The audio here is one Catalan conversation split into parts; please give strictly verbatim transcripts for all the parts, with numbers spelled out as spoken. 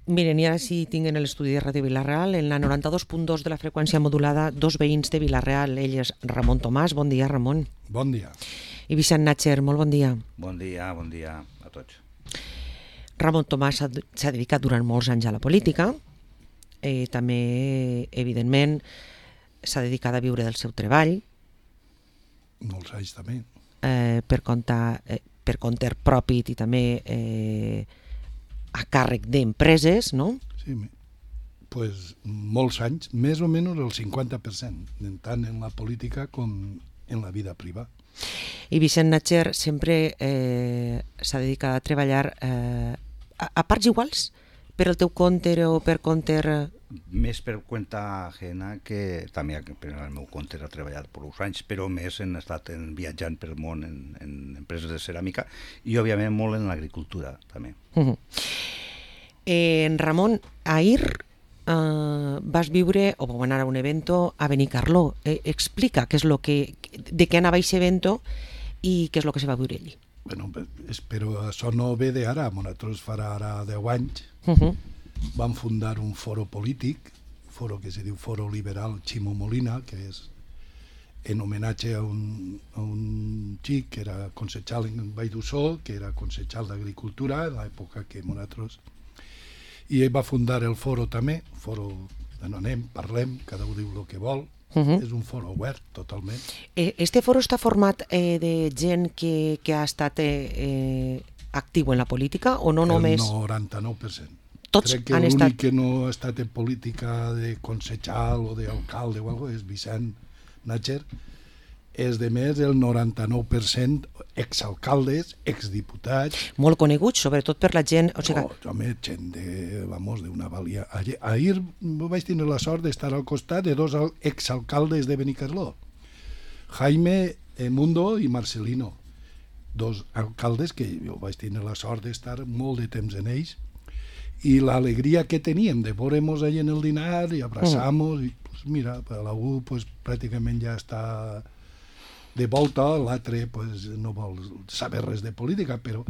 Miren, i ara sí tinc en l'estudi de Ràdio Vila-real, en la noranta-dos punt dos de la freqüència modulada, dos veïns de Vila-real. Ell és Ramon Tomàs. Bon dia, Ramon. Bon dia. I Vicent Natcher, molt bon dia. Bon dia, bon dia a tots. Ramon Tomàs s'ha dedicat durant molts anys a la política. Eh, també, evidentment, s'ha dedicat a viure del seu treball. Molts anys també. Eh, per, compte, eh, per compte propi i també... Eh, a càrrec d'empreses, no? Sí, pues molts anys, més o menys el cinquanta per cent, tant en la política com en la vida privada. I Vicent Natcher sempre eh, s'ha dedicat a treballar eh, a, a parts iguals, per el teu compte o per compte... Més per compte ajena, que també per el meu compte he treballat per uns anys, però més he estat en, viatjant per el món en, en empreses de ceràmica i, òbviament, molt en l'agricultura, també. Uh -huh. eh, Ramon, ahir eh, vas viure, o vau anar a un evento a Benicarló. Eh, explica què és lo que, de què anava aquest evento i què és el que se va viure allí. Bueno, però això no ve d'ara. Nosaltres farà ara deu anys. Uh -huh. Vam fundar un foro polític, un foro que se diu Foro Liberal Ximo Molina, que és en homenatge a un, a un xic que era concejal en Vall d'Ussó, que era concejal d'Agricultura en l'època que nosaltres... I ell va fundar el foro també, un foro on anem, parlem, cada un diu el que vol. Uh -huh. És un foro obert, totalment. Este foro està format eh, de gent que, que ha estat eh, eh, actiu en la política o no només... El noranta-nou per cent. Tots Crec que han l'únic estat... que no ha estat en política de concejal o d'alcalde o alguna cosa és Vicent Natcher. És de més el noranta-nou per cent exalcaldes, exdiputats... Molt coneguts, sobretot per la gent... O sigui... No, home, gent de, vamos, d'una valia... Ahir, ahir vaig tenir la sort d'estar al costat de dos exalcaldes de Benicarló, Jaime Mundo i Marcelino, dos alcaldes que jo vaig tenir la sort d'estar molt de temps en ells, i l'alegria que teníem de veure-nos allà en el dinar i abraçar-nos, mm. i pues, mira, l'algú pues, pràcticament ja està de volta, l'altre pues, no vol saber res de política, però...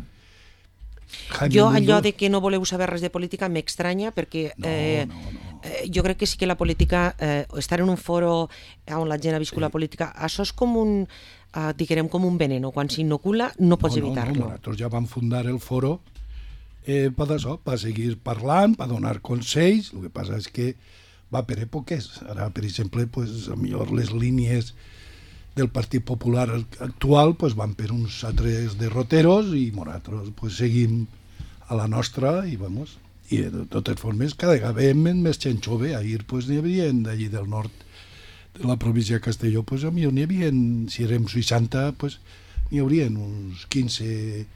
Jaime jo allò Mundo... de que no voleu saber res de política m'estranya perquè no, eh, no, no. Eh, jo crec que sí que la política, eh, estar en un foro on la gent ha viscut sí. la política, això és com un, eh, diguem, com un veneno, quan s'inocula no pots no, evitar-lo. No, no, nosaltres ja vam fundar el foro eh, per això, per seguir parlant, per donar consells. El que passa és que va per èpoques. Ara, per exemple, pues, a millor les línies del Partit Popular actual pues, van per uns altres derroteros i nosaltres pues, seguim a la nostra i vamos. I de totes formes cada vegada veiem més gent jove. Ahir pues, n'hi havia d'allí del nord de la província de Castelló, pues, a millor n'hi havia, si érem seixanta, pues, n'hi haurien uns quinze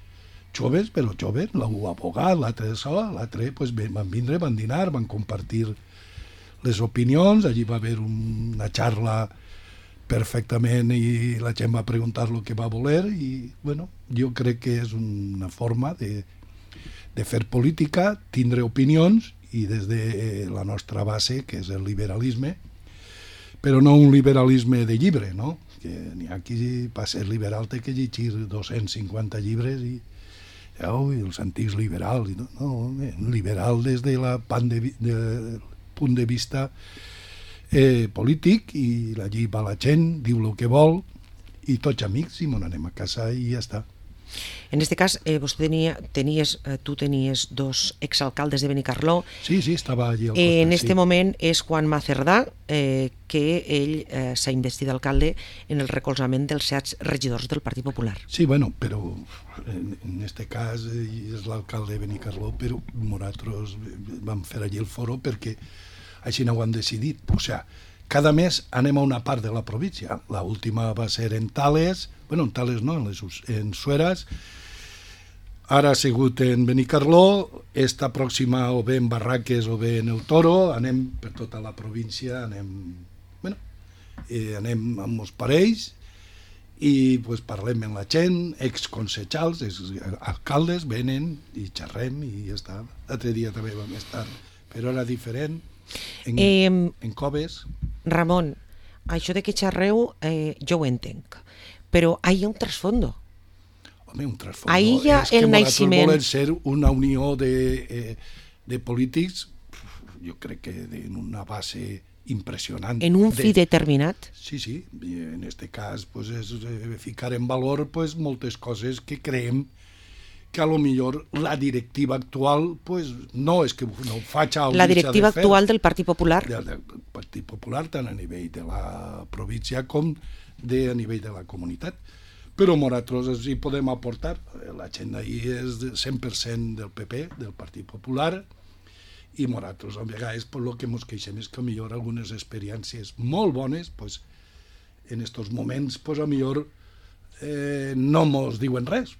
joves, però joves, l'un abogat, l'altre això, l'altre pues, van vindre, van dinar, van compartir les opinions, allí va haver una xarra perfectament i la gent va preguntar el que va voler i bueno, jo crec que és una forma de, de fer política, tindre opinions i des de la nostra base, que és el liberalisme, però no un liberalisme de llibre, no? Que n'hi ha qui per ser liberal té que llegir dos-cents cinquanta llibres i oh, els antics liberals, no, no liberal des de la pan de, de, punt de vista Eh, polític i allí va la gent, diu el que vol i tots amics i mon anem a casa i ja està. En este cas, eh, vostè tenia, tenies, eh, tu tenies dos exalcaldes de Benicarló. Sí, sí, estava allí al costat. Eh, en este sí. moment és Juan Macerdà, eh, que ell eh, s'ha investit d'alcalde en el recolzament dels set regidors del Partit Popular. Sí, bueno, però en, en este cas eh, és l'alcalde de Benicarló, però nosaltres vam fer allí el foro perquè així no ho han decidit. O sigui, cada mes anem a una part de la província. La última va ser en Tales, bueno, en Tales no, en, les, en Sueras. Ara ha sigut en Benicarló, esta pròxima o bé en Barraques o bé en el Toro, anem per tota la província, anem, bueno, eh, anem amb els parells i pues, parlem amb la gent, exconsejals, alcaldes, venen i xerrem i ja està. L'altre dia també vam estar, però era diferent. En, eh, en Coves. Ramon, això de que xerreu eh, jo ho entenc, però hi ha un trasfondo. Home, un trasfondo. Ahí hi ha és el que naixement. Volen ser una unió de, eh, de polítics, jo crec que en una base impressionant. En un fi de... determinat? Sí, sí. I en este cas pues, és ficar en valor pues, moltes coses que creiem que a lo millor la directiva actual pues, no és que no ho faig a la directiva de actual del Partit Popular? Del, del Partit Popular, tant a nivell de la província com de, a nivell de la comunitat. Però nosaltres hi podem aportar. La gent d'ahir és cent per cent del P P, del Partit Popular, i nosaltres, a vegades, per lo que ens queixem és que millor algunes experiències molt bones, pues, en aquests moments, pues, a millor eh, no ens diuen res,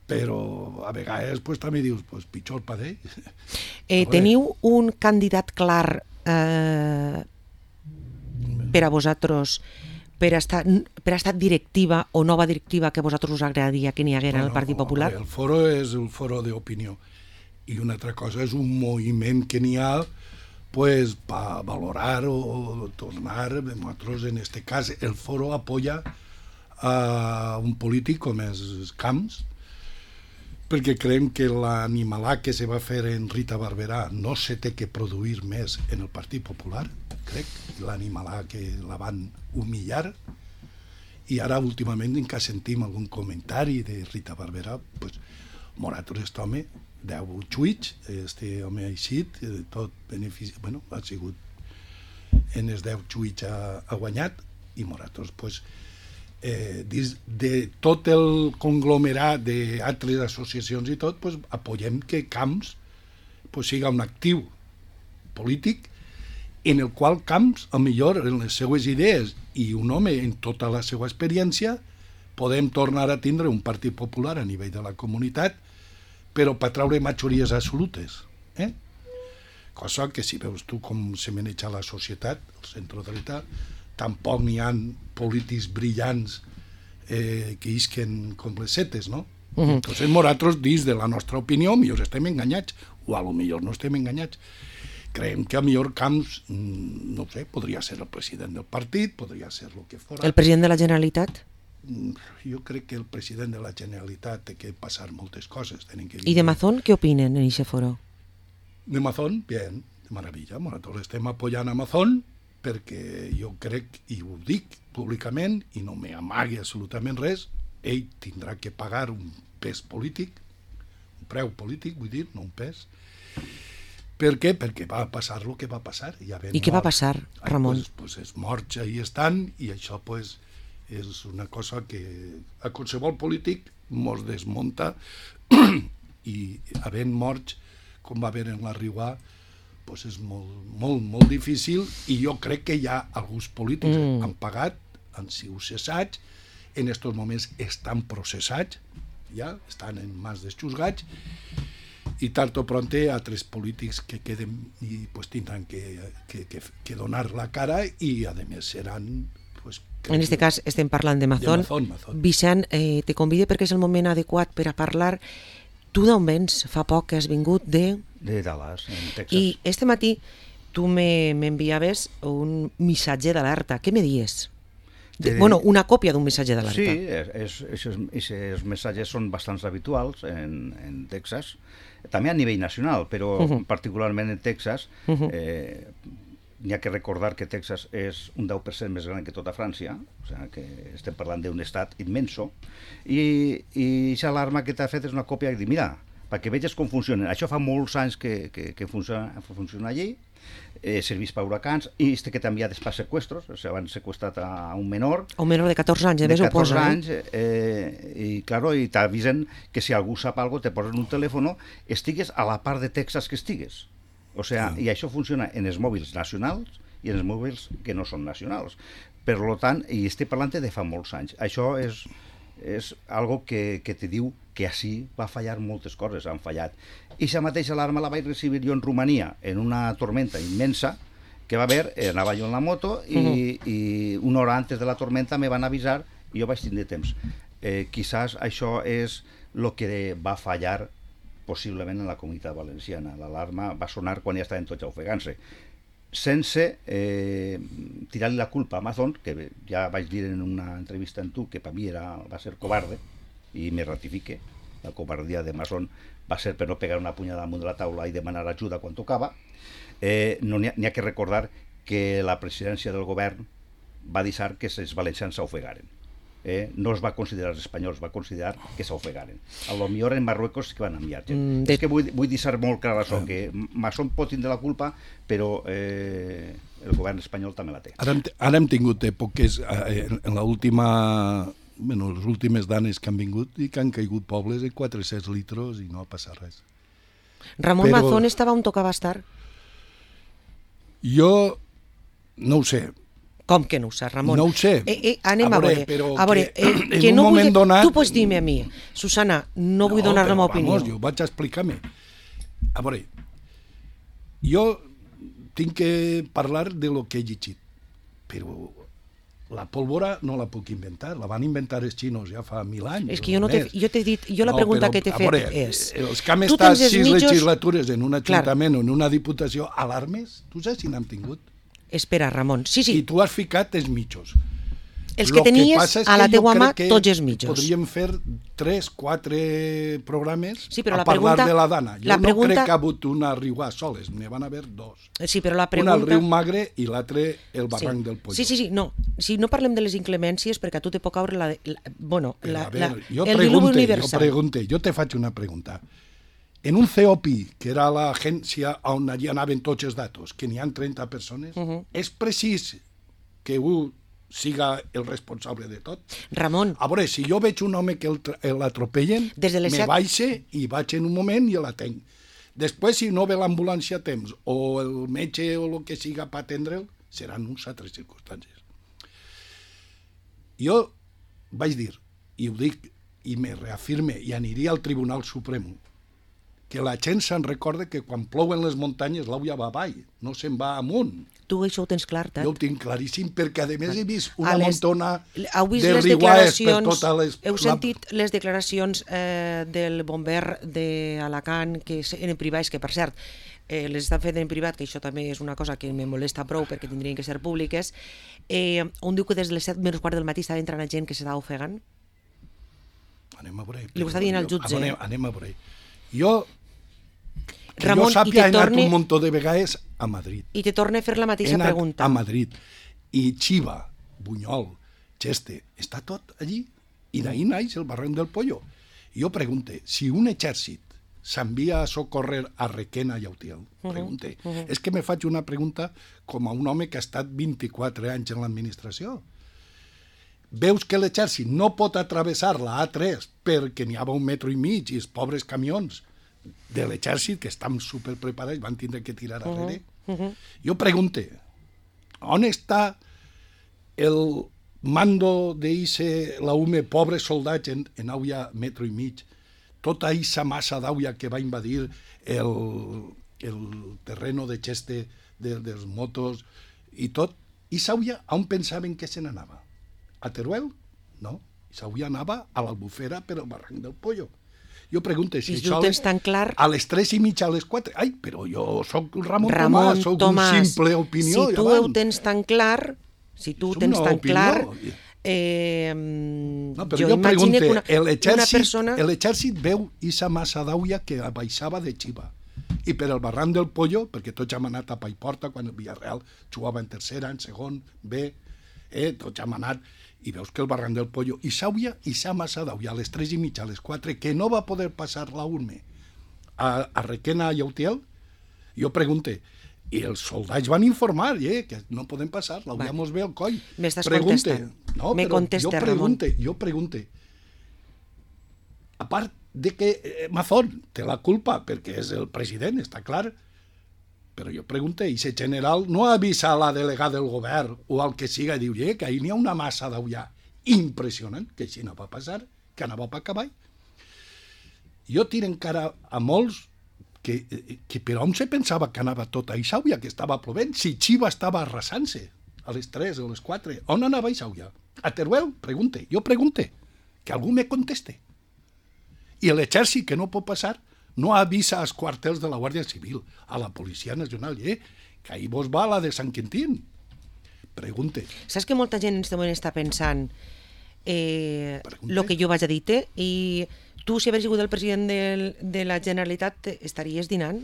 però a vegades pues, també dius, pues, pitjor per ell. Eh, teniu un candidat clar eh, per a vosaltres per a, estar, per a estar directiva o nova directiva que a vosaltres us agradaria que n'hi haguera en el Partit Popular? El foro és el foro d'opinió. I una altra cosa és un moviment que n'hi ha pues, per valorar o, o tornar. Nosaltres, en aquest cas, el foro apoya a un polític com és Camps, perquè creiem que l'animalà que se va fer en Rita Barberà no se té que produir més en el Partit Popular, crec, l'animalà que la van humillar, i ara últimament en què sentim algun comentari de Rita Barberà, pues, nosaltres aquest home, deu xuits, este home ha eixit, tot benefici, bueno, ha sigut en els deu xuits ha, ha guanyat, i nosaltres, pues, eh, dins de tot el conglomerat d'altres associacions i tot, pues, apoyem que Camps pues, siga un actiu polític en el qual Camps, a millor en les seues idees i un home en tota la seva experiència, podem tornar a tindre un Partit Popular a nivell de la comunitat, però per treure majories absolutes. Eh? Cosa que si veus tu com se maneja la societat, el centre-dreta, tampoc n'hi ha polítics brillants eh, que isquen com les setes, no? Uh-huh. Entonces, nosaltres, dins de la nostra opinió, millor estem enganyats, o a lo millor no estem enganyats. Creiem que a millor Camps, no sé, podria ser el president del partit, podria ser el que fora. El president de la Generalitat? Jo crec que el president de la Generalitat té que passar moltes coses. Tenen que I de Mazón, què opinen en aquest foro? De Mazón, bien, de maravilla. Nosaltres estem apoyant a Mazón perquè jo crec, i ho dic públicament, i no m'amagui absolutament res, ell tindrà que pagar un pes polític, un preu polític, vull dir, no un pes. Per què? Perquè va passar el que va passar. I, I què va passar, Ramon? Ai, pues, pues els morts ahí estan, i això pues, és una cosa que a qualsevol polític mos desmunta i havent morts com va haver en la Riuà pues és molt, molt, molt difícil, i jo crec que hi ha alguns polítics que mm. han pagat, han sigut cessats, en aquests moments estan processats, ja estan en mans dels juzgats, i tard o pronte altres polítics que queden i pues, tindran que, que, que, que donar la cara, i a més seran pues, en aquest cas estem parlant de Mazón. De Mazón, Mazón. Vicent, eh, te convido perquè és el moment adequat per a parlar. Tu d'on vens? Fa poc que has vingut de... De Dallas, en Texas. I este matí tu m'enviaves un missatge d'alerta. Què me dies? De, de... Bueno, una còpia d'un missatge d'alerta. Sí, aquests missatges són bastants habituals en, en Texas, també a nivell nacional, però uh -huh. particularment en Texas, uh -huh. eh, n'hi ha que recordar que Texas és un deu per cent més gran que tota França, o sigui que estem parlant d'un estat immenso, i aquesta alarma que t'ha fet és una còpia que diu, mira, perquè veges com funciona. Això fa molts anys que, que, que funciona, funciona allí, eh, serveix per huracans, i este que també hi ha després seqüestros, o sigui, van seqüestrat a un menor. A un menor de catorze anys, a més ho posa. De catorze anys, eh, i claro, i t'avisen que si algú sap alguna cosa, te posen un telèfon, estigues a la part de Texas que estigues. O sea, mm. i això funciona en els mòbils nacionals i en els mòbils que no són nacionals. Per tant, i estic parlant de fa molts anys. Això és, és algo que, que te diu que així va fallar moltes coses, han fallat. I aquesta mateixa alarma la vaig recibir jo en Romania, en una tormenta immensa que va haver, anava jo en la moto, i, mm-hmm. i una hora antes de la tormenta me van avisar i jo vaig tindre temps. Eh, quizás això és el que va fallar possiblement en la comunitat valenciana. L'alarma va sonar quan ja estaven tots ofegant-se, sense eh, tirar-li la culpa a Amazon, que ja vaig dir en una entrevista amb tu que per mi era, va ser covarde, i me ratifique, la covardia de Masson va ser per no pegar una punyada damunt de la taula i demanar ajuda quan tocava. Eh, no n'hi ha, n'hi ha que recordar que la presidència del govern va deixar que els valencians s'ofegaren. Eh, no es va considerar els espanyols, va considerar que s'ofegaren. A lo millor en Marruecos sí que van enviar gent. Mm, de... És que vull, vull deixar molt clar això, ah. que Masson pot tindre la culpa, però eh, el govern espanyol també la té. Ara hem, ara hem tingut èpoques, eh, en l'última... Bueno, les últimes danes que han vingut i que han caigut pobles de quatre-cents litros i no ha passat res. Ramon Però... Mazón estava on tocava estar? Jo no ho sé. Com que no ho saps, Ramon? No ho sé. Eh, eh, anem a veure. A veure, que, eh, que no vull... donat... Tu pots dir-me a mi, Susana, no vull no, donar la meva opinió. Vamos, jo vaig a explicar-me. A veure, jo tinc que parlar de lo que he llegit, però la pólvora no la puc inventar, la van inventar els xinos ja fa mil anys. És que jo no t'he jo t'he dit, jo la no, pregunta però, que t'he fet veure, és... Els que han estat sis mitjos... legislatures en un ajuntament o en una diputació alarmes, tu saps si n'han tingut? Espera, Ramon, sí, sí. I tu has ficat els mitjos. Els que tenies que a la teua mà, tots els mitjos. Podríem fer tres, quatre programes sí, a la parlar pregunta, de la dana. Jo la no pregunta... crec que ha hagut una riuà soles, n'hi van haver dos. Sí, però la pregunta... Una al riu Magre i l'altre el barranc sí. del Polló. Sí, sí, sí, no. Si no parlem de les inclemències, perquè a tu te pot caure la... la bueno, la, veure, la, jo el diluvi universal. Jo pregunte, jo te faig una pregunta. En un C O P I, que era l'agència on allà anaven tots els datos, que n'hi ha trenta persones, uh -huh. és precís que un siga el responsable de tot? Ramon. A veure, si jo veig un home que l'atropellen, me set... baixe i vaig en un moment i l'atenc. Després, si no ve l'ambulància a temps, o el metge o el que siga per atendre'l, seran uns altres circumstàncies. Jo vaig dir, i ho dic, i me reafirme, i aniria al Tribunal Suprem, que la gent se'n recorda que quan plouen les muntanyes l'auia va avall, no se'n va amunt. Tu això ho tens clar, Tat? Jo ho tinc claríssim, perquè a més he vist una les... muntona vist de riguaes per totes les... Heu sentit les declaracions eh, del bomber d'Alacant, que en privat, que per cert, eh, les estan fent en privat, que això també és una cosa que me molesta prou perquè tindrien que ser públiques, eh, on diu que des de les set menys quart del matí estava entrant a gent que s'estava ofegant? Anem a veure. Li ho està dient al jutge. Anem, anem a veure. Jo... Que Ramon, jo sàpia, he anat torne... un muntó de vegades a Madrid. I te torna a fer la mateixa he anat pregunta. a Madrid. I Xiva, Bunyol, Xeste, està tot allí. I d'ahir naix el barranc del Polló. Jo pregunte, si un exèrcit s'envia a socorrer a Requena i a Utiel, pregunte. Uh -huh, uh -huh. És que me faig una pregunta com a un home que ha estat vint-i-quatre anys en l'administració. Veus que l'exèrcit no pot atravessar la A tres perquè n'hi ha un metro i mig i els pobres camions de l'exèrcit, que estan superpreparats, van tindre que tirar darrere. Uh -huh. Uh -huh. Jo pregunte, on està el mando d'eixe, la U M E, pobres soldats en, en auia metro i mig, tota eixa massa d'auia que va invadir el, el terreno de Xeste de, dels motos i tot, i s'auia on pensaven que se n'anava? A Teruel? No, s'auia anava a l'Albufera per al barranc del Polló. Jo pregunto si, si això tan clar... a les tres i mitja, a les quatre... Ai, però jo sóc Ramon, Ramon Tomàs, sóc Tomàs, un simple opinió. Si tu ho tens tan clar, si tu ho tens tan opinió. clar... Eh, no, però jo, jo pregunto, persona... l'exèrcit veu esa massa d'auia que baixava de Xiva. I per el barranc del Polló, perquè tots hem anat a Paiporta quan el Villarreal jugava en tercera, en segon, B, eh, tots hem anat... i veus que el barranc del Polló, i s'auia, i s'ha massa d'auia, a les tres i mitja, a les quatre, que no va poder passar la U M E a, a Requena i a Utiel, jo pregunte, i els soldats van informar, eh, que no podem passar, l'auia mos ve al coll. M'estàs contestant. No, Me contesta, jo pregunte, Ramon. jo pregunte, a part de que eh, Mazón té la culpa, perquè és el president, està clar, però jo pregunto, i ese general no avisa a la delegada del govern o al que siga, diu, eh, que ahir n'hi ha una massa d'aullà impressionant, que així no va passar, que anava per cavall. Jo tiro encara a molts que, que per on se pensava que anava tota Ixauia, que estava plovent, si Xiva estava arrasant-se a les tres o a les quatre, on anava Ixauia? A Teruel? Pregunte, jo pregunte, que algú me conteste. I l'exèrcit, que no pot passar, no avisa als quartels de la Guàrdia Civil, a la Policia Nacional, eh? Que ahir vos va la de Sant Quintín. Pregunte. Saps que molta gent en aquest moment està pensant eh, el que jo vaig a dir-te i tu, si hagués sigut el president de, de la Generalitat, estaries dinant?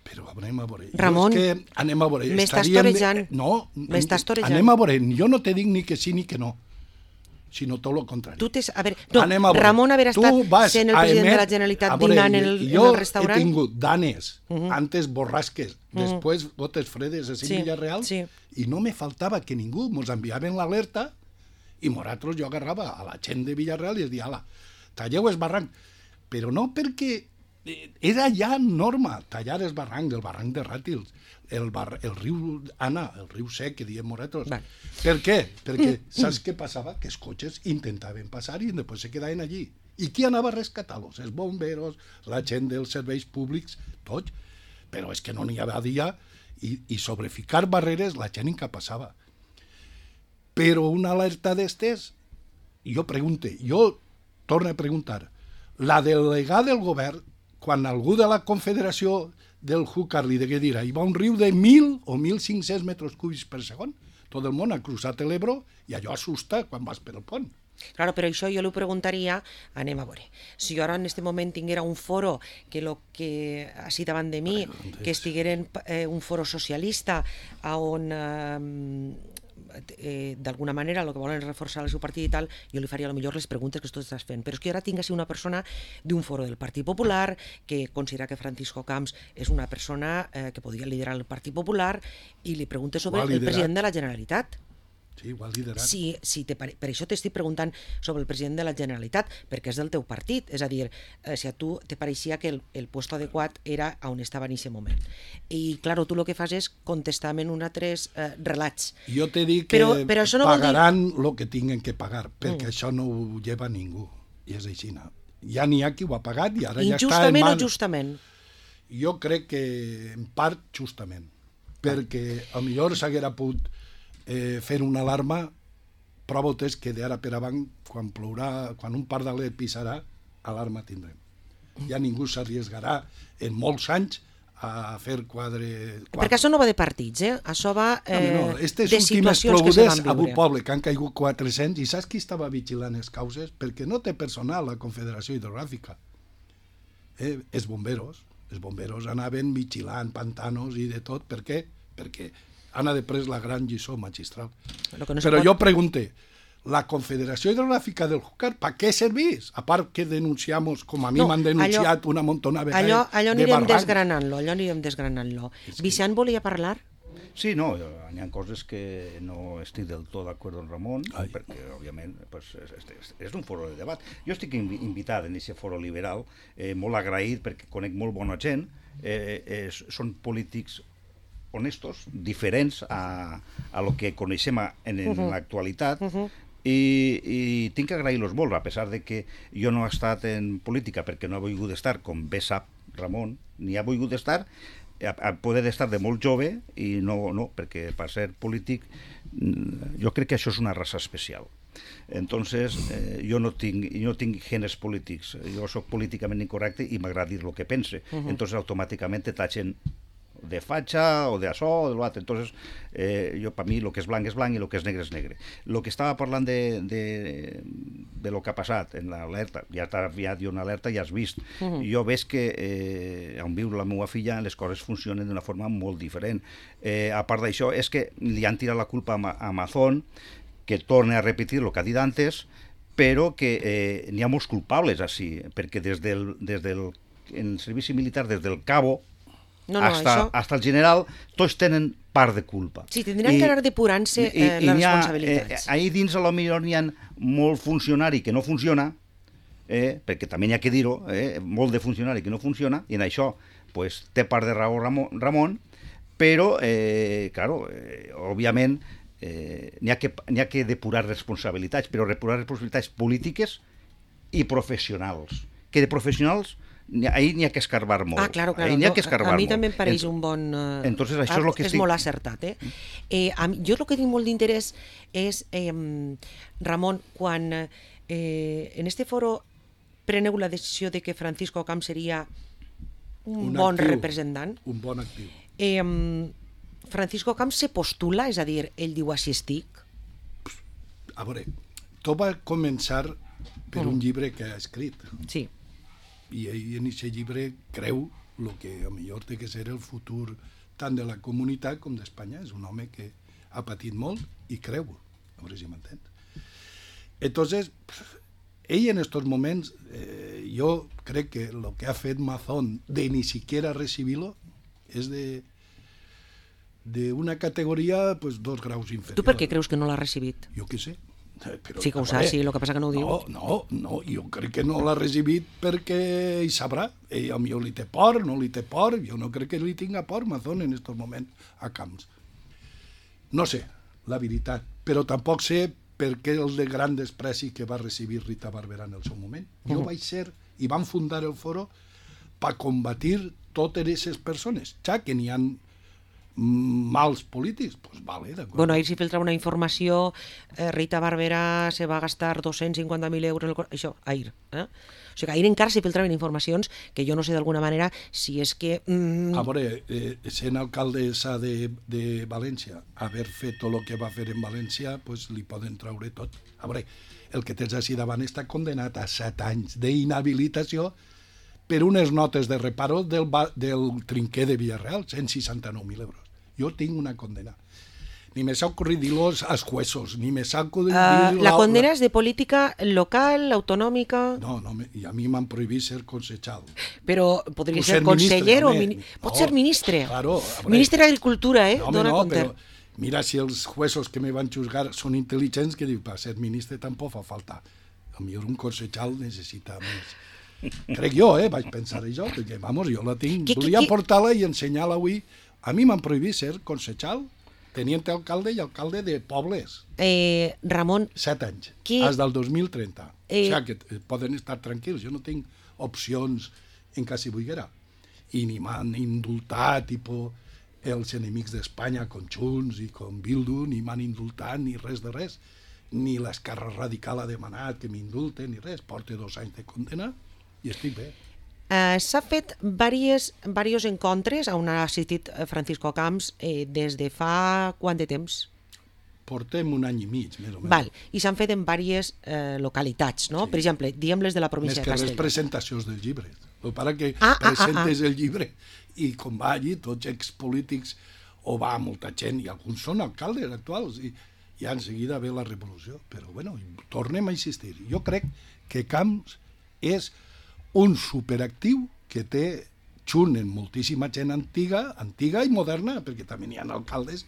Però anem a veure. Ramon, jo és que anem a veure. m'estàs estaríem... torejant. No, m'estàs torejant. Anem a veure. Jo no te dic ni que sí ni que no, sinó tot el contrari. Tu tens, a veure, no, anem a veure. Ramon haver estat sent el president emet, de la Generalitat veure, dinant en el, en el restaurant? Jo he tingut danes, uh Mhm. -huh. antes borrasques, uh Mhm. -huh. després botes fredes a Sí, Villarreal, sí. i no me faltava que ningú mos enviaven l'alerta i nosaltres jo agarrava a la gent de Villarreal i es dia, ala, talleu el barranc. Però no perquè era ja norma tallar el barranc, el barranc de Ràtils, el, bar, el riu Anna, el riu sec, que diem nosaltres. Vale. Per què? Perquè saps què passava? Que els cotxes intentaven passar i després se quedaven allí. I qui anava a rescatar-los? Els bomberos, la gent dels serveis públics, tots. Però és que no n'hi havia dia i, i sobre ficar barreres la gent incapaçava. Però una alerta d'estes, jo pregunte, jo torno a preguntar, la delegada del govern, quan algú de la Confederació del Júcar li degué dir, hi va un riu de mil o mil cinc-cents metres cúbics per segon, tot el món ha cruzat l'Ebro i allò assusta quan vas per el pont. Claro, però això jo li preguntaria, anem a veure, si jo ara en aquest moment tinguera un foro que lo que així davant de mi, bueno, que estigueren eh, un foro socialista on eh, eh, d'alguna manera el que volen és reforçar el seu partit i tal, jo li faria a lo millor les preguntes que tu estàs fent, però és que ara tinc així una persona d'un foro del Partit Popular que considera que Francisco Camps és una persona eh, que podria liderar el Partit Popular i li pregunta sobre el president de la Generalitat. Sí, ho ha liderat. Sí, sí, te pare... per això t'estic preguntant sobre el president de la Generalitat, perquè és del teu partit, és a dir, eh, si a tu te pareixia que el, el puesto adequat era on estava en aquest moment. I, claro, tu el que fas és contestar en un altres eh, relats. Jo te dic que però, però no pagaran el dir... que tinguen que pagar, perquè mm. això no ho lleva ningú, i és així. No? Ja n'hi ha qui ho ha pagat i ara ja està en Injustament mans. o justament? Jo crec que en part justament, perquè a millor s'haguera pogut eh, fer una alarma, prova és que d'ara per avant, quan plourà, quan un pardaler pisarà, alarma tindrem. Ja ningú s'arriesgarà en molts anys a fer quadre... quadre. Perquè això no va de partits, eh? Això va eh, no, no, estes de situacions que se van viure. A un poble que han caigut quatre-cents, i saps qui estava vigilant les causes? Perquè no té personal la Confederació Hidrogràfica. Eh, els bomberos. Els bomberos anaven vigilant pantanos i de tot. Per què? Perquè han després la gran lliçó magistral. No Però pot... jo pregunte, la Confederació Hidrogràfica del Júcar, ¿para qué servís? A part que denunciamos, com a mi no, m'han denunciat allò, una montona vegada allò, allò de anirem barrancs. desgranant-lo, allò anirem desgranant-lo. que... Vicent volia parlar? Sí, no, hi ha coses que no estic del tot d'acord amb Ramon, Ai. perquè, òbviament, pues, és, és, és un foro de debat. Jo estic invitat en aquest foro liberal, eh, molt agraït perquè conec molt bona gent, eh, eh, són polítics honestos, diferents a, a lo que coneixem a, en, en uh-huh. l'actualitat, uh-huh. i, i tinc que agrair-los molt, a pesar de que jo no he estat en política perquè no he volgut estar, com bé sap Ramon, ni ha volgut estar, a, a poder estar de molt jove, i no, no, perquè per ser polític jo crec que això és una raça especial. Entonces, eh, jo no tinc, no tinc genes polítics, jo sóc políticament incorrecte i m'agrada dir el que pense, uh-huh. entonces automàticament te tachen de fatxa o de això o de l'altre. Entonces, eh, jo, per mi, el que és blanc és blanc i el que és negre és negre. El que estava parlant de, de, de lo que ha passat en l'alerta, ja t'ha enviat una alerta i ja has vist. Uh-huh. Jo veig que eh, on viu la meva filla les coses funcionen d'una forma molt diferent. Eh, a part d'això, és que li han tirat la culpa a Amazon, que torna a repetir el que ha dit antes, però que eh, n'hi ha molts culpables així, perquè des del, des del en el servici militar, des del cabo, No, no, hasta, això... hasta el general, tots tenen part de culpa. Sí, tindran I, que anar depurant-se eh, i, les ha, responsabilitats. Eh, ahir dins, a lo millor, n'hi ha molt funcionari que no funciona, eh, perquè també n'hi ha que dir-ho, eh, molt de funcionari que no funciona, i en això pues, té part de raó Ramon, Ramon però, eh, claro, eh, òbviament, eh, n'hi ha, que, n'hi ha que depurar responsabilitats, però depurar responsabilitats polítiques i professionals. Que de professionals ahir n'hi ha que escarbar molt. Ah, claro, claro. Ahir n'hi ha que escarbar a mi molt. també em pareix Ent... un bon... Uh... Entonces, això és, lo que és estic... molt acertat, eh? eh a mi, jo el que tinc molt d'interès és, eh, Ramon, quan eh, en este foro preneu la decisió de que Francisco Camps seria un, un bon actiu, representant. Un bon actiu. Eh, Francisco Camps se postula, és a dir, ell diu així estic? A veure, tot va començar per un llibre que ha escrit. Sí. I ell en aquest llibre creu el que a millor té que ser el futur tant de la comunitat com d'Espanya. És un home que ha patit molt i creu, a veure si m'entens. Entonces, ell en estos moments, eh, yo crec que lo que ha fet Mazón de ni siquiera recibirlo es de de una categoria pues, dos graus inferior. Tu per què creus que no l'ha recibit? Jo què sé. Però, sí que ho saps, sí, el que passa que no ho diu. No, no, no, jo crec que no l'ha recibit perquè ell sabrà. Ell potser li té por, no li té por, jo no crec que li tinga por Mazón en estos moments a Camps. No sé, la veritat, però tampoc sé per què el de gran despreci que va recibir Rita Barberà en el seu moment. Jo uh -huh. vaig ser, i van fundar el foro per combatir totes aquestes persones, ja que n'hi ha mals polítics, pues vale, d'acord. Bueno, ahir s'hi filtrava una informació, eh, Rita Barberà se va gastar dos-cents cinquanta mil euros, en el... això, ahir. Eh? O sigui que ahir encara s'hi filtraven informacions que jo no sé d'alguna manera si és que... Mm... A veure, eh, sent alcaldessa de, de València, haver fet tot el que va fer en València, pues li poden traure tot. A veure, el que tens així davant està condenat a set anys d'inhabilitació per unes notes de reparo del, del trinquer de Villarreal, cent seixanta-nou mil euros. Jo tinc una condena. Ni me s'ha ocorrit dir-los als jueces, ni me s'ha ocorrit uh, dir... La condena és de política local, autonòmica... No, no, i a mi m'han prohibit ser concejal. Però podria Puc ser, ser conseller o... ministre, Mini... Pot no, ser ministre. Claro, ministre d'Agricultura, eh? No, Dona no, compte. Però mira, si els jueces que me van juzgar són intel·ligents, que diu, per ser ministre tampoc fa falta. A millor un concejal necessita més. Crec jo, eh? Vaig pensar això, perquè, vamos, jo la tinc. Que, Volia que, portar-la i ensenyar-la avui. A mi m'han prohibit ser concejal, teniente alcalde i alcalde de pobles. Eh, Ramon... Set anys, que... fins del dos mil trenta. Eh... O sigui que poden estar tranquils, jo no tinc opcions en cas si volguera. I ni m'han indultat, tipus, els enemics d'Espanya, com Junts i com Bildu, ni m'han indultat ni res de res. Ni l'Esquerra Radical ha demanat que m'indulten ni res. Porto dos anys de condena i estic bé. Uh, S'ha fet diversos encontres on ha assistit Francisco Camps eh, des de fa quant de temps? Portem un any i mig, més o menys. Val. I s'han fet en diverses eh, localitats, no? Sí. Per exemple, diguem les de la província de Castelló. Més que les presentacions del llibre. El pare que ah, presentes ah, ah. el llibre i com va allí, tots expolítics, o va molta gent, i alguns són alcaldes actuals, i ja en seguida ve la revolució. Però, bueno, tornem a insistir. Jo crec que Camps és un superactiu que té junt en moltíssima gent antiga, antiga i moderna, perquè també n'hi ha alcaldes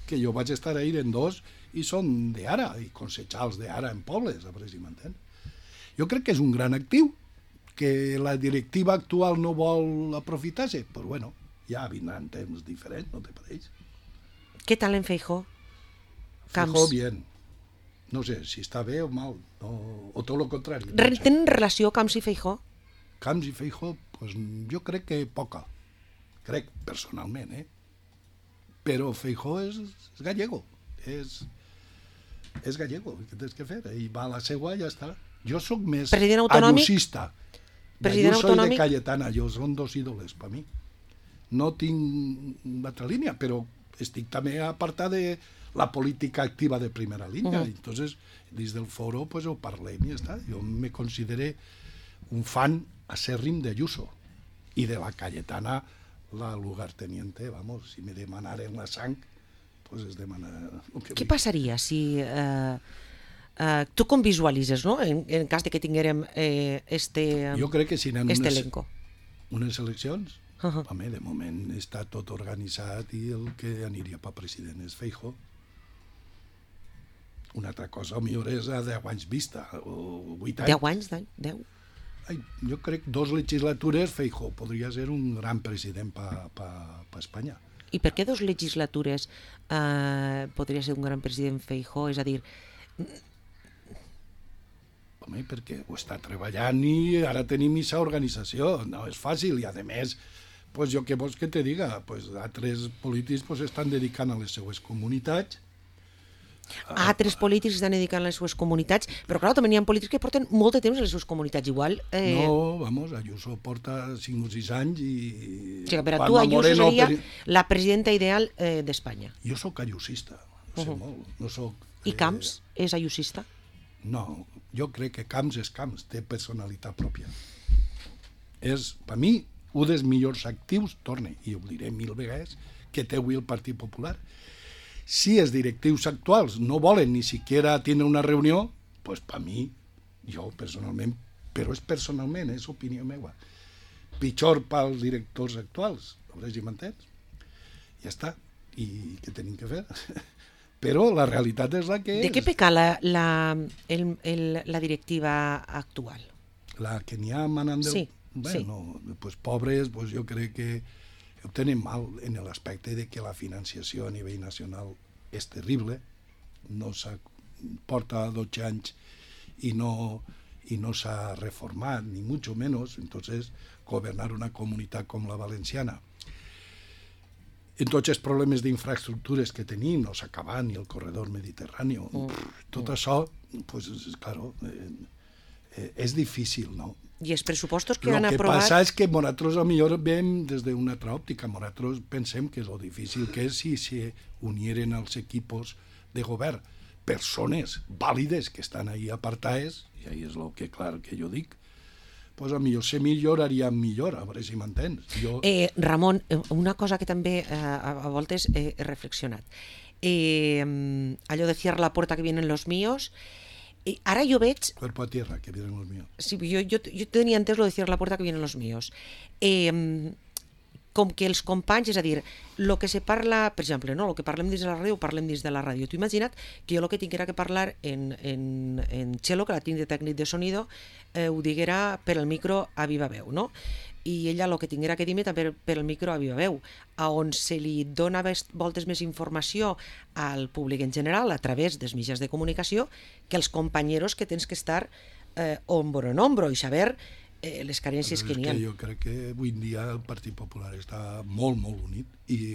que jo vaig estar ahir en dos i són d'ara, i concejals d'ara en pobles, a veure si m'entén. Jo crec que és un gran actiu, que la directiva actual no vol aprofitar-se, però bueno, ja vindran temps diferents, no te pareix? Què tal en Feijóo? Feijóo bien. No sé si està bé o mal, no, o tot el contrari. No sé. Tenen relació Camps i Feijóo? Camps i Feijóo, pues, jo crec que poca. Crec, personalment, eh? Però Feijóo és, és gallego. És, és gallego, què tens que fer? Ell va a la seua i ja està. Jo sóc més ayusista. President Ayuso autonòmic? i de Cayetana, jo són dos ídoles per mi. No tinc una altra línia, però estic també apartat de la política activa de primera línia. Uh-huh. Entonces, dins del foro, pues, ho parlem i ja està. Jo me considero un fan acèrrim de Ayuso i de la Cayetana, la lugarteniente, vamos, si me demanaren la sang, pues es demana... Què passaria si... Eh, eh, tu com visualitzes, no?, en, en cas de que tinguérem eh, este, jo crec que si anem este unes, elenco. Unes eleccions, uh-huh. home, de moment està tot organitzat i el que aniria per president és Feijóo. Una altra cosa, millor és a deu anys vista, o vuit anys. Deu anys? Deu? Ai, jo crec dos legislatures Feijóo podria ser un gran president per pa, pa Espanya. I per què dos legislatures eh, podria ser un gran president Feijóo? És a dir... Home, perquè ho està treballant i ara tenim aquesta organització. No és fàcil i, a més, pues, jo què vols que te diga? Pues, altres polítics pues, estan dedicant a les seues comunitats. Altres polítics estan dedicant a les seues comunitats, però clar, també hi ha polítics que porten molt de temps a les seues comunitats, igual... Eh... No, vamos, Ayuso porta cinc o sis anys i... O sigui, per a tu Ayuso Moreno, seria per... la presidenta ideal eh, d'Espanya. Jo sóc ayusista, no sé uh-huh. molt, no soc... I Camps eh... és ayusista? No, jo crec que Camps és Camps, té personalitat pròpia. És, per mi, un dels millors actius, torne, i ho diré mil vegades, que té avui el Partit Popular. Si els directius actuals no volen ni siquiera tindre una reunió, pues per mi, jo personalment, però és personalment, és opinió meva, pitjor pels directors actuals, a veure si m'entens? Ja està, i què tenim que fer? Però la realitat és la que és. De què peca la, la, el, el, la directiva actual? La que n'hi ha manant del... Sí, bueno, sí. Pues pobres, pues jo crec que ho tenen mal en l'aspecte de que la financiació a nivell nacional és terrible, no s'ha porta dotze anys i no, i no s'ha reformat, ni mucho menos, entonces governar una comunitat com la valenciana en tots els problemes d'infraestructures que tenim, no s'acaba ni el corredor mediterrani, mm. tot això, pues, claro, eh, eh, és difícil, no? I els pressupostos que lo han que aprovat... El que passa és que nosaltres a millor veiem des d'una altra òptica, nosaltres pensem que lo difícil que és si se unieren els equipos de govern persones vàlides que estan ahí apartades, i ahí és el que, clar, que jo dic, pues a millor se milloraria millor, a veure si m'entens. Jo... Eh, Ramon, una cosa que també eh, a voltes he, he reflexionat. Eh, allò de cierra la puerta que vienen los míos, eh, ara jo veig... Cuerpo a tierra, que vienen los míos. Sí, jo, jo, jo tenia entès lo de cierra la puerta que vienen los míos. Eh, com que els companys, és a dir, el que se parla, per exemple, no, el que parlem dins de la ràdio, ho parlem dins de la ràdio. Tu imagina't que jo el que tinc era que parlar en, en, en Txelo, que la tinc de tècnic de sonido, eh, ho diguera per el micro a viva veu, no? I ella el que tinguera que dir-me també per el micro a viva veu, a on se li dona voltes més informació al públic en general a través dels mitjans de comunicació que els companyeros que tens que estar eh, hombro en hombro i saber eh, les carències que n'hi ha. Que jo crec que avui en dia el Partit Popular està molt, molt unit i,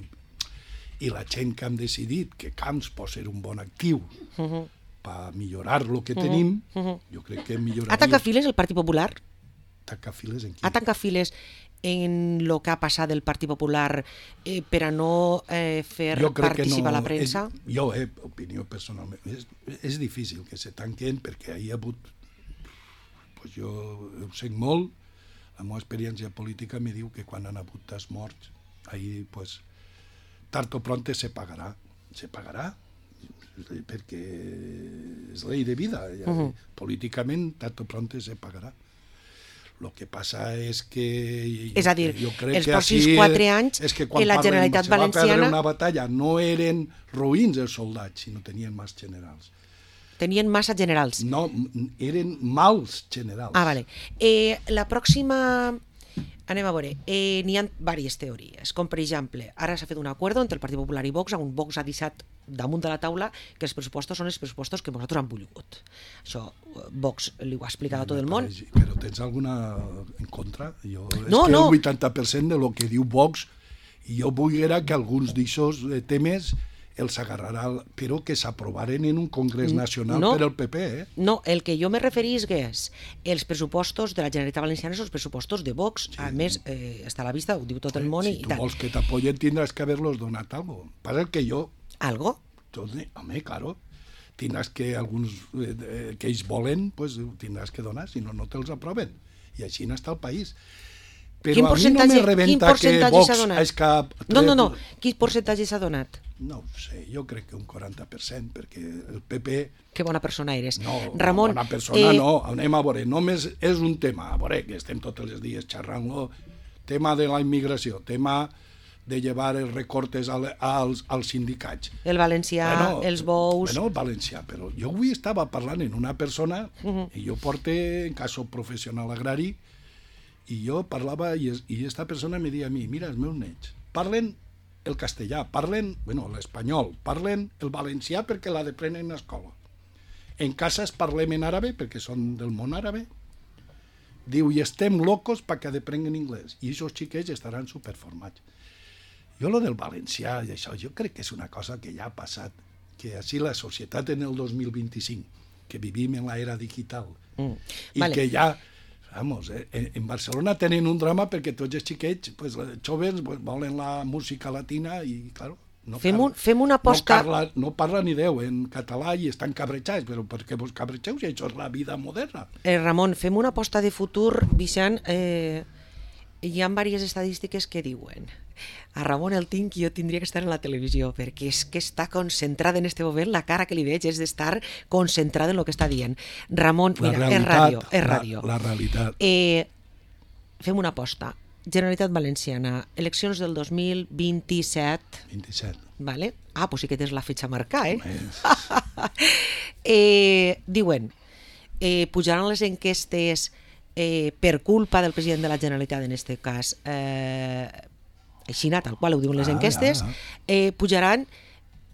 i la gent que hem decidit que Camps pot ser un bon actiu uh-huh. per millorar el que uh-huh. tenim, uh-huh. jo crec que milloraria... Ha tancat files el Partit Popular? Tancat files en qui? Ha tancat files en el que ha passat del Partit Popular eh, per a no eh, fer participar no, la premsa? És, jo, eh, opinió personalment, és, és difícil que se tanquen perquè hi ha hagut... Pues jo ho sé molt, la meva experiència política me diu que quan han hagut tas morts, ahí, pues, tard o pronto se pagarà. Se pagarà, perquè és llei de vida. Ja, uh-huh. Políticament, tard o pronto se pagarà. Lo que passa és que... És a dir, jo crec els que pròxims així quatre anys és que que la Generalitat se Valenciana... va perdre una batalla, no eren roïns els soldats, sinó tenien mals generals. Tenien massa generals. No, eren mals generals. Ah, vale. Eh, la pròxima... Anem a veure. Eh, n'hi ha diverses teories, com per exemple, ara s'ha fet un acord entre el Partit Popular i Vox, on Vox ha deixat damunt de la taula que els pressupostos són els pressupostos que nosaltres hem volgut. Això Vox li ho ha explicat a tot el món. Però tens alguna en contra? Jo, no, és que no. El vuitanta per cent de lo que diu Vox, i jo volguera que alguns d'aixòs temes els agarrarà, però que s'aprovaren en un congrés nacional no, per al P P, eh? No, el que jo me referís que és els pressupostos de la Generalitat Valenciana són els pressupostos de Vox. Sí. A més, eh, està a la vista, ho diu tot el món si i tu tal. Vols que t'apoyen tindràs que haver-los donat algo. Passa que jo... ¿Algo? Entonces, home, claro, tindràs que alguns eh, que ells volen, pues tindràs que donar, si no, no te'ls aproven. I així n'està el país. Però a mi no me rebenta que Vox és cap... No, no, no. Quin percentatge s'ha donat? No ho sé, jo crec que un quaranta per cent, perquè el P P... Que bona persona eres. No, Ramon, bona persona eh... no, anem a veure, només és un tema, a veure, que estem tots els dies xerrant-lo, tema de la immigració, tema de llevar els recortes als, als sindicats. El valencià, bueno, els bous... Bueno, el valencià, però jo avui estava parlant amb una persona, uh-huh. i jo porto en caso professional agrari, i jo parlava, i, i esta persona me deia a mi, mira, els meus nets, parlen el castellà, parlen, bueno, l'espanyol, parlen el valencià perquè l'ha de prendre en l'escola. En casa es parlem en àrabe, perquè són del món àrabe. Diu, i estem locos perquè aprenguen anglès. I aquests xiquets estaran superformats. Jo, lo del valencià i això, jo crec que és una cosa que ja ha passat, que així la societat en el dos mil vint-i-cinc, que vivim en l'era digital, mm. i vale. Que ja... Vamos, eh, en Barcelona tenen un drama perquè tots els xiquets, pues, els joves, pues, volen la música latina i, claro, No fem, parla, un, fem una aposta... No parla, no parla ni Déu en català i estan cabrejats, però per què vos cabrejeu si això és la vida moderna? Eh, Ramon, fem una aposta de futur, Vicent. Eh, hi ha diverses estadístiques que diuen a Ramon el tinc i jo tindria que estar en la televisió, perquè és que està concentrada en este moment, la cara que li veig és d'estar concentrada en el que està dient. Ramon, La mira, realitat, és ràdio, és ràdio. La, la realitat. Eh, fem una aposta. Generalitat Valenciana, eleccions del dos mil vint-i-set. vint-i-set. Vale? Ah, pues sí que tens la fitxa a marcar, eh? És... eh diuen, eh, pujaran les enquestes eh, per culpa del president de la Generalitat, en este cas, eh, així, tal qual ho diuen les Ah, enquestes, ja, ja. eh, pujaran,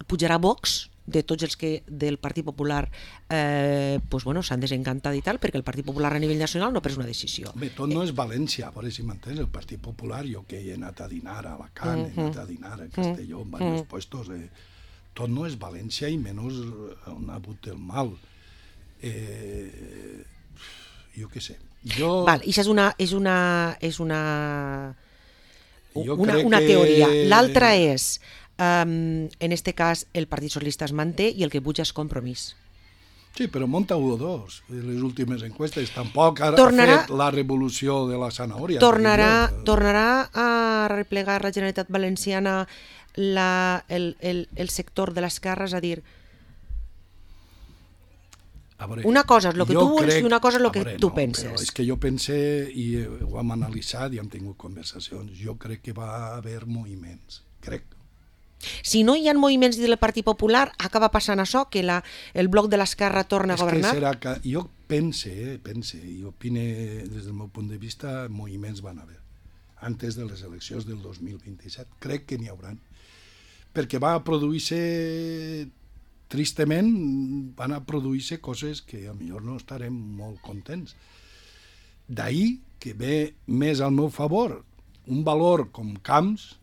pujarà Vox, de tots els que del Partit Popular eh, pues bueno, s'han desencantat i tal, perquè el Partit Popular a nivell nacional no ha pres una decisió. Home, tot no és València, a veure si m'entens, el Partit Popular, jo que he anat a dinar a Alacant, uh -huh. he anat a dinar a Castelló, en diversos uh -huh. puestos, eh, tot no és València i menys on ha hagut el mal. Eh, jo què sé. Jo... Val, i això és una... És una, és una... Jo una, crec una que- teoria. L'altra és, um, en este cas, el Partit Socialista es manté i el que puja és Compromís. Sí, però monta u o dos. Les últimes enquestes tampoc ha Tornarà- fet la revolució de la zanahòria. Tornarà, diria jo. tornarà a replegar la Generalitat Valenciana la, el, el, el sector de l'esquerra, és a dir, A veure, una cosa és el que jo tu vols crec- i una cosa és el a que veure, tu no, penses. Però és que jo pense, i ho hem analitzat i hem tingut conversacions, jo crec que va haver moviments, crec. Si no hi ha moviments del Partit Popular, acaba passant això, que la, el bloc de l'esquerra torna a És que governar? serà que jo pense, eh, pense, i opine des del meu punt de vista, moviments van haver antes de les eleccions del dos mil vint-i-set. Crec que n'hi hauran. Perquè va produir-se, tristament, van a produir-se coses que a millor no estarem molt contents. D'ahir que ve més al meu favor un valor com Camps,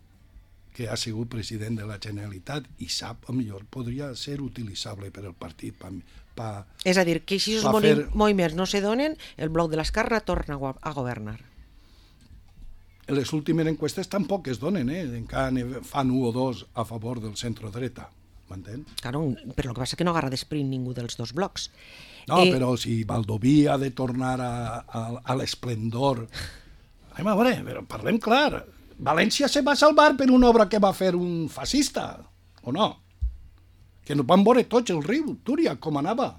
que ha sigut president de la Generalitat i sap, a millor podria ser utilitzable per al partit, pa, pa, És a dir, que si els va fer... fer- moviments no se donen, el bloc de l'esquerra torna a go- a governar. les últimes enquestes tampoc es donen, eh? Encara ne fan un o dos a favor del centre-dreta, m'entén? Claro, però el que passa és que no agarra d'esprint ningú dels dos blocs. No, Eh, però si Baldoví ha de tornar a, a, a l'esplendor... Anem a veure, però parlem clar. València se va salvar per una obra que va fer un fascista, o no? Que no van veure tots el riu, Túria, com anava.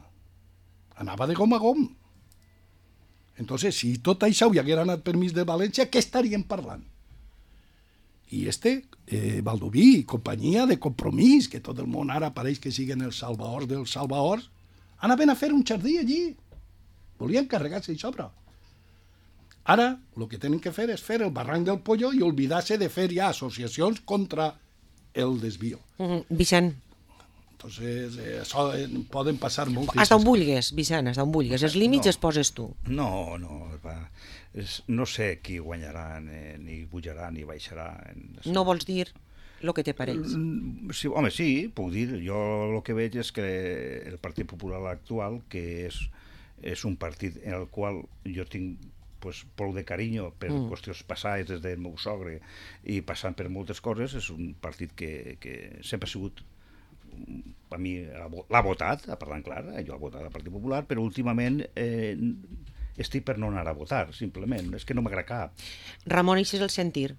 Anava de gom a gom. Entonces, si tot això hi haguera anat per mig de València, què estaríem parlant? I este, eh, Baldoví i companyia de Compromís, que tot el món ara pareix que siguen els salvadors dels salvadors, anaven a fer un jardí allí. Volien carregar-se i sobre. Ara, el que tenen que fer és fer el barranc del Pollo i oblidar-se de fer ja associacions contra el desvío. mm, Vicent, Entonces, eh, això eh, poden passar moltes... hasta on vulguis, Vicent, hasta on vulguis. Els límits No. els poses tu. No, no, va. És, no sé qui guanyarà, ni, ni pujarà, ni baixarà. No vols dir el que te pareix. Mm, Sí, home, sí, puc dir. Jo el que veig és que el Partit Popular actual, que és, és un partit en el qual jo tinc pues, prou de carinyo per mm. qüestions passades des del meu sogre i passant per moltes coses, és un partit que, que sempre ha sigut, a mi l'ha votat, parlant clar, jo he votat al Partit Popular, però últimament eh, estic per no anar a votar, simplement, és que no m'agrada cap. Ramon, això és el sentir.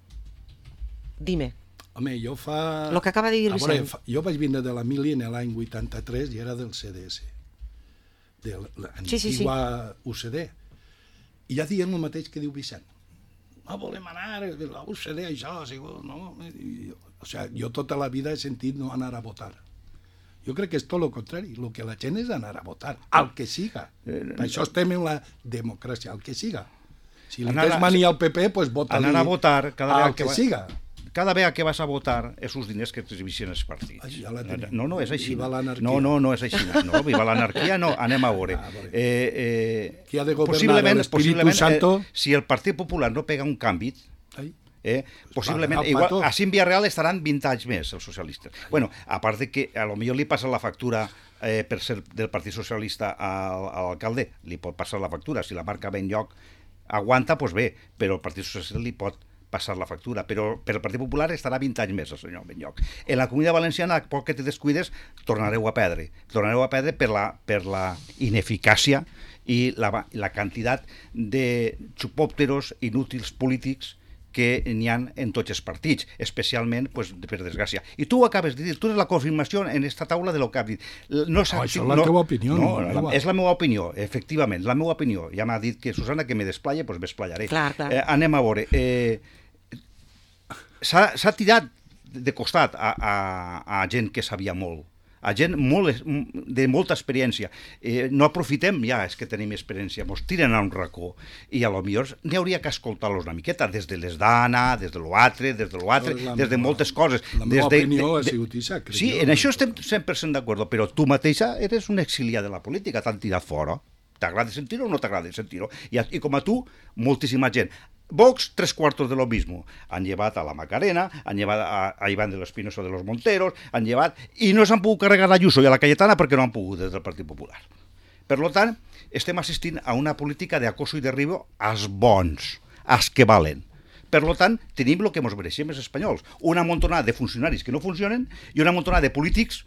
Dime. Home, jo fa... Lo que acaba de dir A veure, Vicent. fa- jo vaig vindre de la mili en l'any vuitanta-tres i era del C D S, de l'antiga Sí, sí, sí. U C D. I ja dient el mateix que diu Vicent. No volem anar, la U C D, això, ha sigut, no? I, o sigui, jo tota la vida he sentit no anar a votar. Jo crec que és tot el contrari. El que la gent és anar a votar, al que siga. Per això estem en la democràcia, al que siga. Si li Anar a- tens mania al P P, doncs vota-li Anar a votar cada al vegada que que va- siga. Cada vegada que vas a votar, és els diners que t'exhibeixen els partits. Ai, ja la tenim. No, no, és així. Viva l'anarquia. No, no, no és així. No, viva l'anarquia, no, anem a veure. Ah, a veure. Eh, eh, Qui ha de governar possiblement- l'Espíritu possiblement, Santo? Eh, si el Partit Popular no pega un canvi, Ai. eh, possiblement, pagarà el igual, pato. així en Villarreal estaran vint anys més els socialistes. Bueno, a part de que a lo millor li passa la factura eh, per ser del Partit Socialista a, a l'alcalde, li pot passar la factura. Si la marca ben lloc aguanta, doncs bé, però el Partit Socialista li pot passar la factura, però per el Partit Popular estarà vint anys més el senyor Benlloch. En la Comunitat Valenciana, a poc que te descuides, tornareu a perdre. Tornareu a perdre per la, per la ineficàcia i la, la quantitat de xupòpteros inútils polítics que n'hi ha en tots els partits, especialment, pues, per desgràcia. I tu ho acabes de dir, tu eres la confirmació en aquesta taula de lo que has dit. No, oh, això és la no, teva opinió. No, no, la, és la meva opinió, efectivament, la meva opinió. Ja m'ha dit que Susana que me desplaia, doncs pues m'esplayaré. Clar, clar. Eh, anem a veure. Eh, S'ha tirat de costat a, a, a gent que sabia molt, a gent molt, de molta experiència. Eh, no aprofitem ja, és que tenim experiència, mos tiren a un racó i a lo millor n'hi hauria que escoltar-los una miqueta, des de les d'Anna, des de l'altre, des de l'altre, des de moltes coses. La meva des de, opinió de, ha sigut Isa. Sí, en això estem cent per cent d'acord, però tu mateixa eres un exiliat de la política, t'han tirat fora. T'agrada sentir-ho o no t'agrada sentir-ho? I, I com a tu, moltíssima gent. Vox, tres cuartos de lo mismo. Han llevat a la Macarena, han llevat a, a Iván de l'Espinosa de los Monteros, han llevat... I no s'han pogut carregar a Ayuso i a la Cayetana perquè no han pogut des del Partit Popular. Per tant, estem assistint a una política d'acoso i derribo als bons, als que valen. Per tant, tenim el que ens mereixem els espanyols. Una montonada de funcionaris que no funcionen i una montonada de polítics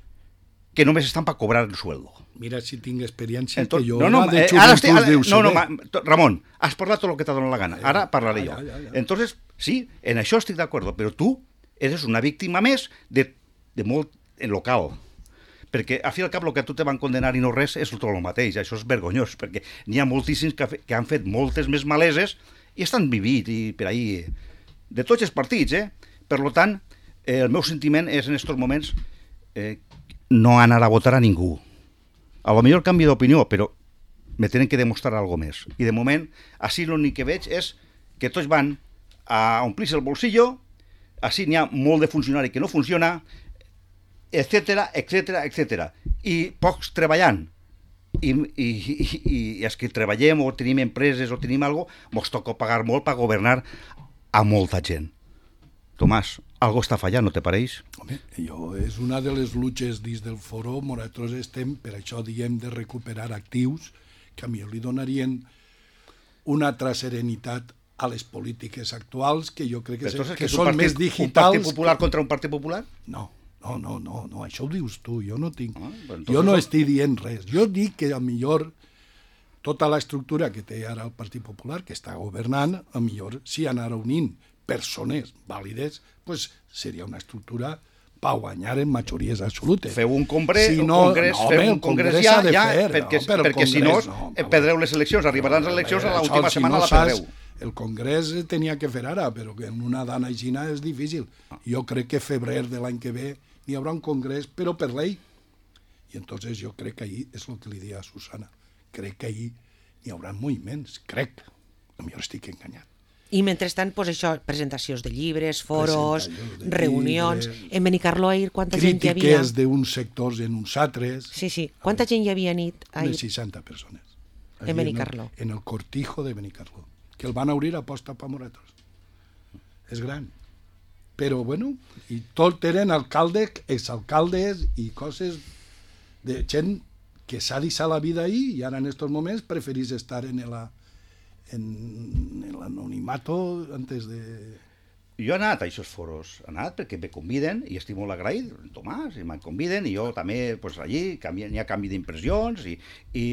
que només estan per cobrar el sueldo. Mira si tinc experiència Entonces, que jo no, no, de eh, ara estic, ara, deu no, no, saber. ma, Ramon, has parlat tot el que t'ha donat la gana. Ara parlaré jo. Ja, ja, ja. Entonces, sí, en això estic d'acord, però tu eres una víctima més de, de molt en local. Perquè, a fi al cap, el que a tu te van condenar i no res és tot el mateix. Això és vergonyós, perquè n'hi ha moltíssims que, que han fet moltes més maleses i estan vivint i per ahí, de tots els partits, eh? Per tant, eh, el meu sentiment és en aquests moments eh, no anar a votar a ningú. A lo millor canvi d'opinió, però me tenen que demostrar alguna més. I de moment, així l'únic que veig és que tots van a omplir-se el bolsillo, així n'hi ha molt de funcionari que no funciona, etcètera, etcètera, etcètera. I pocs treballant. I, i, i, i els que treballem o tenim empreses o tenim alguna cosa, mos toca pagar molt per governar a molta gent. Tomàs, algo està fallant, no te pareix? Home, jo, és una de les luches dins del foro, nosaltres estem, per això diem, de recuperar actius que a mi li donarien una altra serenitat a les polítiques actuals, que jo crec que, Entonces, que, que són partit, més digitals... Un partit popular que... contra un partit popular? No, no, no, no, no, això ho dius tu, jo no tinc... Ah, entonces... Jo no estic dient res. Jo dic que a millor tota l'estructura que té ara el Partit Popular, que està governant, a millor si anar unint persones vàlides, pues seria una estructura per guanyar en majories absolutes. Feu un congrés, si no, un congrés, no, home, feu un congrés ja, ja fer, perquè, no, perquè congrés, si no, no perdreu les eleccions, arribaran les eleccions a l'última si setmana no la perdreu. El congrés tenia que fer ara, però que en una dana aixina és difícil. Jo crec que febrer de l'any que ve n'hi haurà un congrés, però per llei. I entonces jo crec que ahir, és el que li dia a Susana, crec que ahir n'hi haurà moviments, crec. A mi estic enganyat. I mentrestant, pues això, presentacions de llibres, foros, de reunions... llibres, en Benicarló ahir quanta gent hi havia? Crítiques d'uns sectors en uns altres... Sí, sí. Quanta gent hi havia nit ahir? Unes seixanta persones. En Benicarló. En el, en el cortijo de Benicarló, que el van obrir a posta per nosaltres. És gran. Però, bueno, i tot eren alcaldes, exalcaldes i coses de gent que s'ha deixat la vida ahí i ara en aquests moments preferís estar en la... en, en l'anonimato antes de... Jo he anat a aquests foros, he anat perquè me conviden i estic molt agraït, Tomàs, i me'n conviden i jo també, pues, allí n'hi ha canvi d'impressions i, i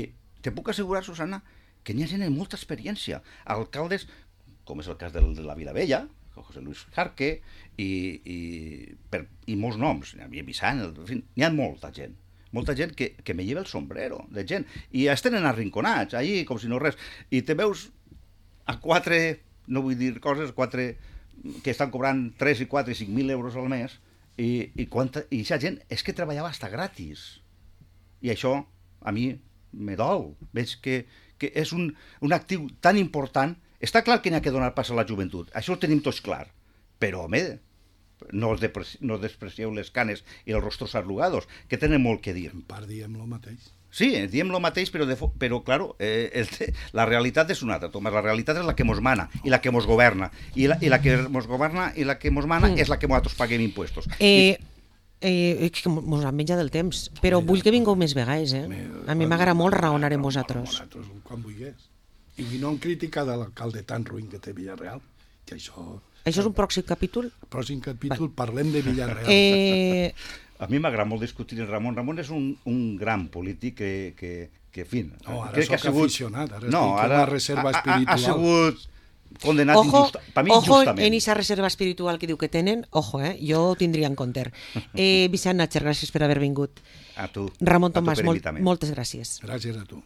te puc assegurar, Susana, que n'hi ha gent amb molta experiència. Alcaldes, com és el cas del, de la Vilavella, José Luis Jarque, i, i, per, i molts noms, n'hi havia Vicent, en fi, n'hi ha molta gent. Molta gent que, que me lleva el sombrero, de gent. I es tenen arrinconats, allí, com si no res. I te veus a quatre, no vull dir coses, quatre que estan cobrant tres i quatre i cinc mil euros al mes, i, i, quanta, i aquesta gent és que treballava hasta gratis. I això a mi me dol. Veig que, que és un, un actiu tan important. Està clar que n'hi ha que donar pas a la joventut, això ho tenim tots clar, però, home, no, despreci no desprecieu les canes i els rostros arrugados, que tenen molt que dir. En part diem el mateix. Sí, diem el mateix, però, de però claro, eh, el, la realitat és una altra, Tomàs. La realitat és la que mos mana i la que mos governa. I la, i la que mos governa i la que mos mana mm. és la que nosaltres paguem impuestos. Eh, eh, que mos han menjat el temps, però Mira, vull que vingueu més vegades, eh? A mi m'agrada molt raonar amb vosaltres. Quan vulguis. I no en crítica de l'alcalde tan ruïn que té Villarreal, que això Això és un pròxim capítol? Pròxim capítol, parlem de Villarreal. Eh, A mi m'agrada molt discutir amb Ramon. Ramon és un, un gran polític que, que, que en fi... No, ara crec que soc ha sigut... aficionat, ara no, estic com ara a reserva ha, ha, espiritual. ha sigut condenat ojo, injusta, per mi ojo injustament. en esa reserva espiritual que diu que tenen, ojo, eh? Jo ho tindria en compte. Eh, Vicent Natcher, gràcies per haver vingut. A tu. Ramon a tu Tomàs, per molt, invitar-me. moltes gràcies. Gràcies a tu.